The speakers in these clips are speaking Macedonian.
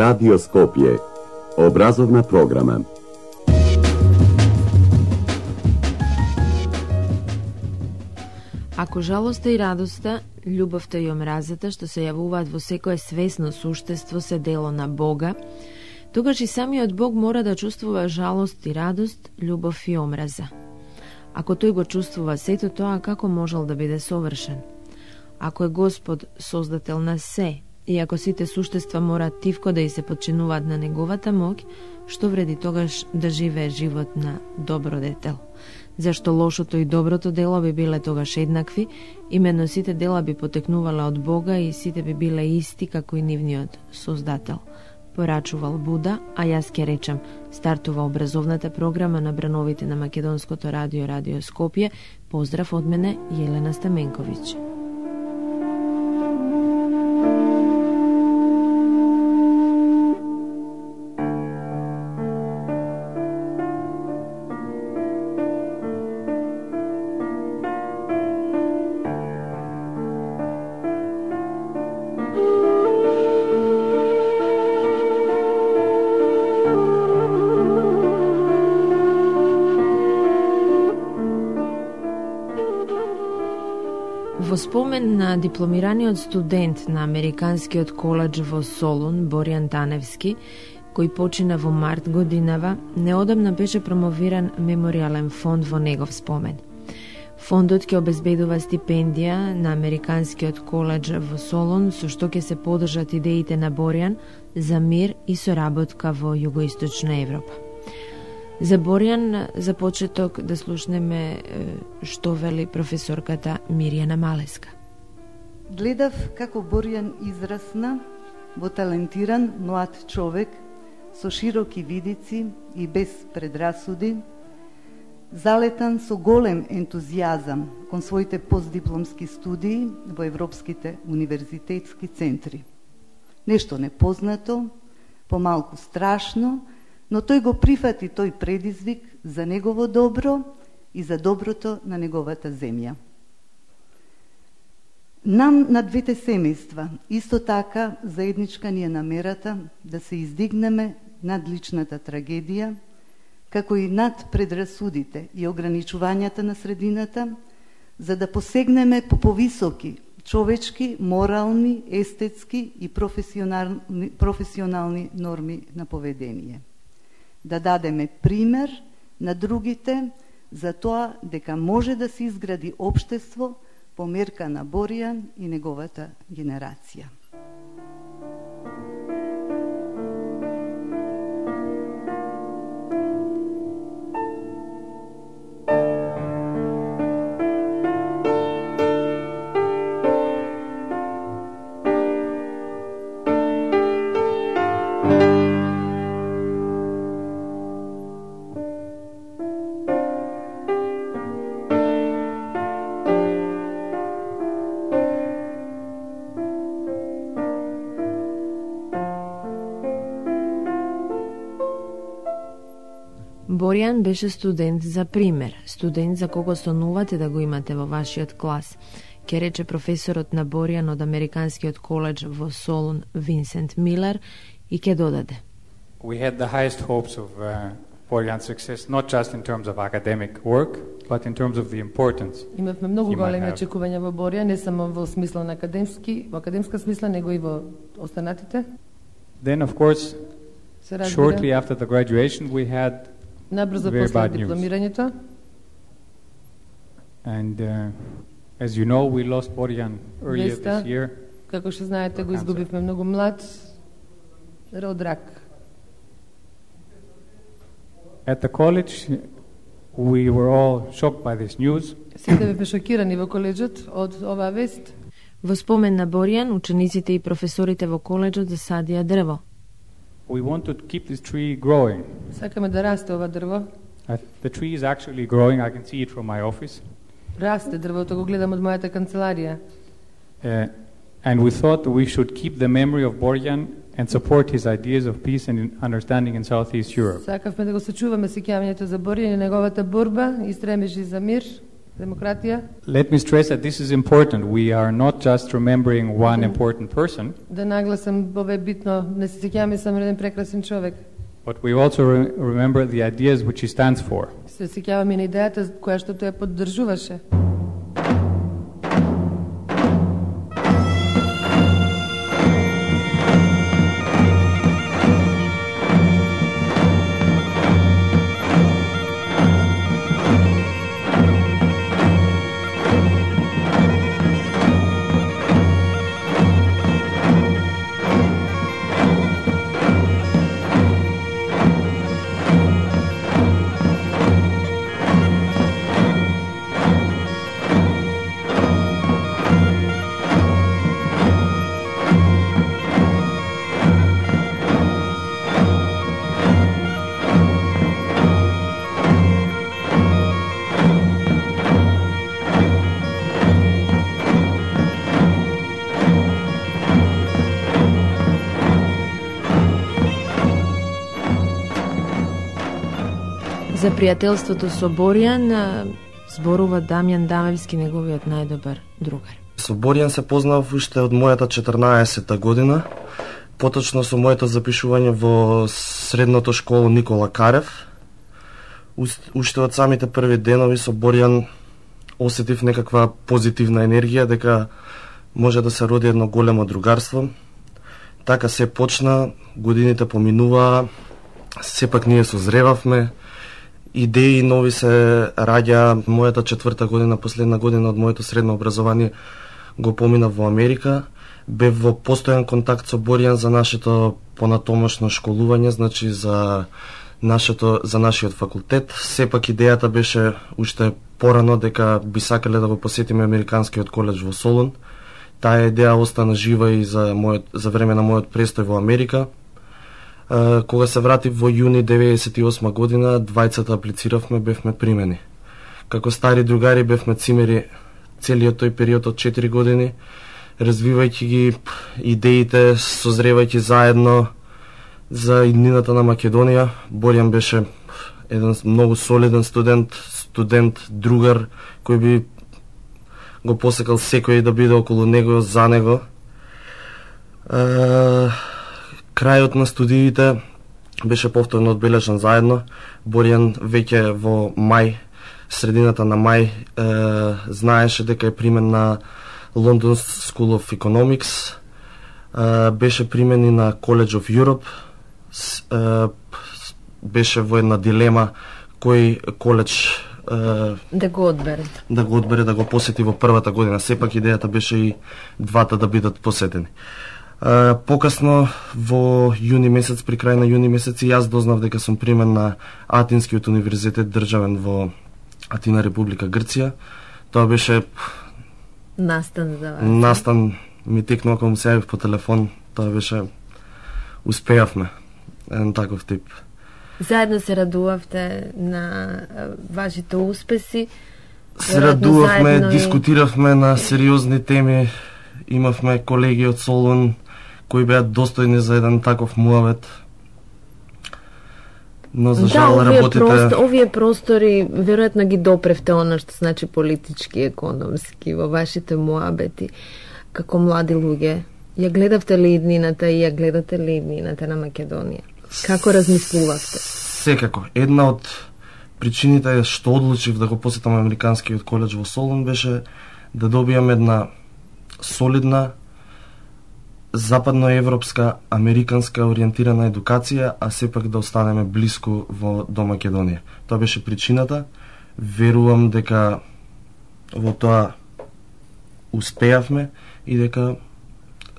Радио Скопје. Образовна програма. Ако жалоста и радоста, љубовта и омразата што се јавуваат во секое свесно суштество се дело на Бога, тогаш и самиот Бог мора да чувствува жалост и радост, љубов и омраза. Ако тој го чувствува сето тоа, како можел да биде совршен? Ако е Господ создател на се, и ако сите суштества мора тивко да и се подчинуваат на неговата моќ, што вреди тогаш да живее живот на добродетел? Зашто лошото и доброто дело би биле тогаш еднакви, именно сите дела би потекнувале од Бога и сите би биле исти како и нивниот создател. Порачувал Буда, а јас ќе речем, стартува образовната програма на брановите на Македонското радио, Радио Скопје. Поздрав од мене, Јелена Стаменковиќ. Во спомен на дипломираниот студент на Американскиот коледж во Солун, Боријан Таневски, кој почина во март годинава, неодамна беше промовиран меморијален фонд во негов спомен. Фондот ќе обезбедува стипендија на Американскиот коледж во Солун, со што ќе се поддржат идеите на Боријан за мир и соработка во југоисточна Европа. За Боријан, за почеток да слушнеме што вели професорката Мирјана Малеска. Гледав како Боријан израсна во талентиран млад човек со широки видици и без предрасуди, залетан со голем ентузијазам кон своите постдипломски студии во европските универзитетски центри. Нешто непознато, помалку страшно, но тој го прифати тој предизвик за негово добро и за доброто на неговата земја. Нам на двете семејства исто така заедничка ни е намерата да се издигнеме над личната трагедија, како и над предрасудите и ограничувањата на средината, за да посегнеме по повисоки човечки, морални, естетски и професионални норми на поведение. Да дадеме пример на другите за тоа дека може да се изгради општество по мерка на Боријан и неговата генерација. Боријан беше студент за пример, студент за кого сонувате да го имате во вашиот клас, ке рече професорот на Боријан од Американскиот коледж во Солун, Винсент Милер, и ке додаде. We had the highest hopes of Boријan's success, not just in terms of academic work, but in terms of the importance. Имавме многу големи очекувања во Боријан, не само во смисла на академска смисла, него и во останатите. Then, of course, shortly after the graduation, we had набрзо very после bad news. дипломирањето. And as you know, we lost Boријan earlier this year. Како што знаете, го изгубивме многу млад од рак. At the college, we were all shocked by this news. Сите бевме шокирани во коледжот од оваа вест. Во спомен на Боријан, учениците и професорите во коледжот засадија дрво. We want to keep this tree growing. Сакаме да расте ова дрво. The tree is actually growing. I can see it from my office. Расте дрвото, го гледам од мојата канцеларија. And we thought we should keep the memory of Boријан and support his ideas of peace and understanding in Southeast Europe. Сакавме да го сочуваме сеќавањето за Боријан и неговата борба и стремежи за мир Демократија. Let me stress that this is important. We are not just remembering one important person, Да нагласам, ова е битно, не се сеќаваме само еден прекрасен човек. but we also remember the ideas which he stands for. Се сеќаваме на идејата која што тој ја поддржуваше. За пријателството со Боријан зборува Дамјан Дамевски, неговиот најдобар другар. Со Боријан се познав уште од мојата 14-та година, поточно со моето запишување во средното школо Никола Карев. Уште од самите први денови со Боријан осетив некаква позитивна енергија, дека може да се роди едно големо другарство. Така се почна, годините поминуваа, сепак ние созревавме, идеи нови се раѓа. Мојата 4-та година, последна година од моето средно образование, го поминав во Америка. Бев во постојан контакт со Боријан за нашето понатомошно школување, значи за нашиот факултет. Сепак идејата беше уште порано дека би сакале да го посетиме Американскиот коледж во Солун. Таа идеја остана жива и за време на мојот престој во Америка. Кога се вратив во јуни 98 година, двајцата аплициравме, бевме примени. Како стари другари бевме цимери целиот тој период од 4 години, развивајќи ги идеите, созревајќи заедно за иднината на Македонија. Боријан беше еден многу солиден студент, другар, кој би го посекал секој да биде околу него, за него. Крајот на студиите беше повторно одбележан заедно. Боријан веќе во мај, средината на мај, знаеше дека е примен на London School of Economics, беше примен и на College of Europe, беше во една дилема кој коледж да го одбере. Да го посети во првата година. Сепак идејата беше и двата да бидат посетени. Покасно во јуни месец, при крај на јуни месец, и јас дознав дека сум примен на Атинскиот универзитет државен во Атина, Република Грција. Тоа беше Настан за вас. Настан ми текнува кога му се јавив по телефон. Тоа беше, успеавме, еден таков тип. Заедно се радувавте на вашите успеси. Се радувавме, дискутиравме на сериозни теми. Имавме колеги од Солун кои беа достојни за еден таков муавет. Но за жал работите... Овие простори веројатно ги допревте она што значи политички, економски во вашите муабети како млади луѓе. Ја гледавте ли иднината и ја гледате ли иднината на Македонија? Како размислувавте? Секако. Една од причините што одлучив да го посетам Американскиот коледж во Солун беше да добијам една солидна западноевропска, американска ориентирана едукација, а сепак да останеме блиску до Македонија. Тоа беше причината. Верувам дека во тоа успеавме и дека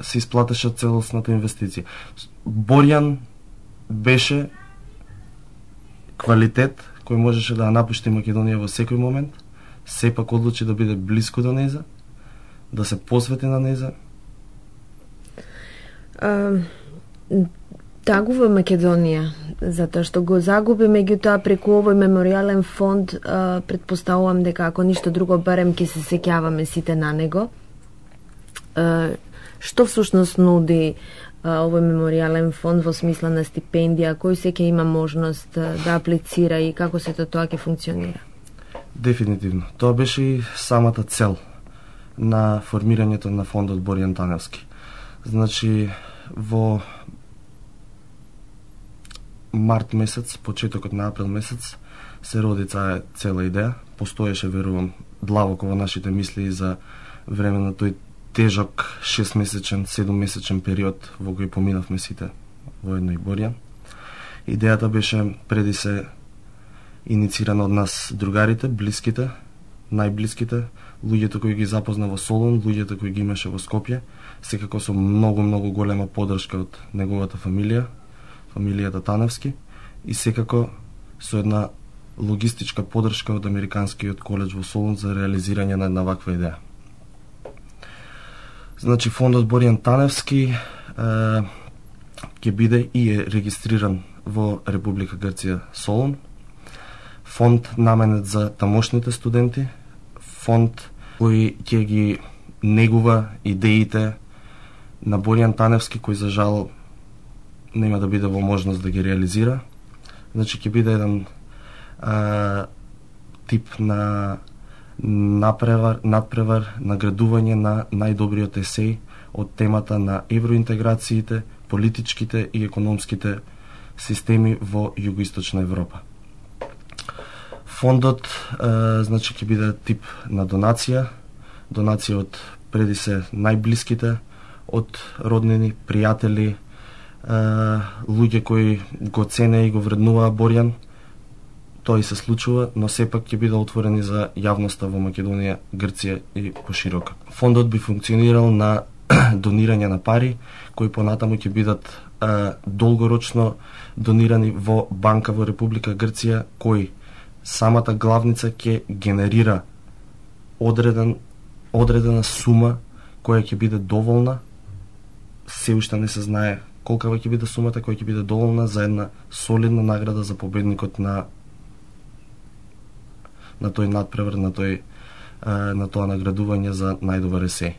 се исплатеше целосната инвестиција. Боријан беше квалитет кој можеше да напушти Македонија во секој момент, сепак одлучи да биде блиску до нејза, да се посвети на нејза. Тагува Македонија, затоа што го загуби, меѓутоа преку овој меморијален фонд, предпоставувам дека ако ништо друго, барем ќе се сеќаваме сите на него. Што всушност нуди овој меморијален фонд во смисла на стипендија, кој секој има можност да аплицира и како сето тоа ќе функционира? Дефинитивно. Тоа беше и самата цел на формирањето на фондот Боријан Таневски. Значи, во март месец, почетокот на април месец, се роди цела идеја. Постоеше, верувам, длабоко во нашите мисли за време на тој тежок 6-месечен, 7-месечен период во кој поминавме сите воедно и Боријан. Идејата беше преди се иницирана од нас другарите, блиските, најблиските, луѓето кои ги запозна во Солун, луѓето кои ги имаше во Скопје, секако со многу голема поддршка од неговата фамилија, фамилијата Таневски, и секако со една логистичка поддршка од Американскиот коледж во Солун за реализирање на една ваква идеја. Значи, фондот Боријан Таневски ќе биде и е регистриран во Република Грција, Солун. Фонд наменет за тамошните студенти, фонд кој ќе ги негува идеите на Боријан Таневски, кој за жал нема да биде во можност да ги реализира. Значи, ќе биде еден тип на надпревар, наградување на најдобриот есеј од темата на евроинтеграциите, политичките и економските системи во Југоисточна Европа. Фондот значи ќе биде тип на донација од преди се најблиските, од роднини, пријатели, луѓе кои го цене и го вреднуваа Боријан. Тоа и се случува, но сепак ќе биде отворени за јавноста во Македонија, Грција и поширока. Фондот би функционирал на донирање на пари, кои понатаму ќе бидат долгорочно донирани во банка во Република Грција, кој самата главница ќе генерира одредена сума која ќе биде доволна. Се уште не се знае колкава ќе биде сумата која ќе биде доволна за една солидна награда за победникот на тој надпревар, на тоа наградување за најдобар есеј.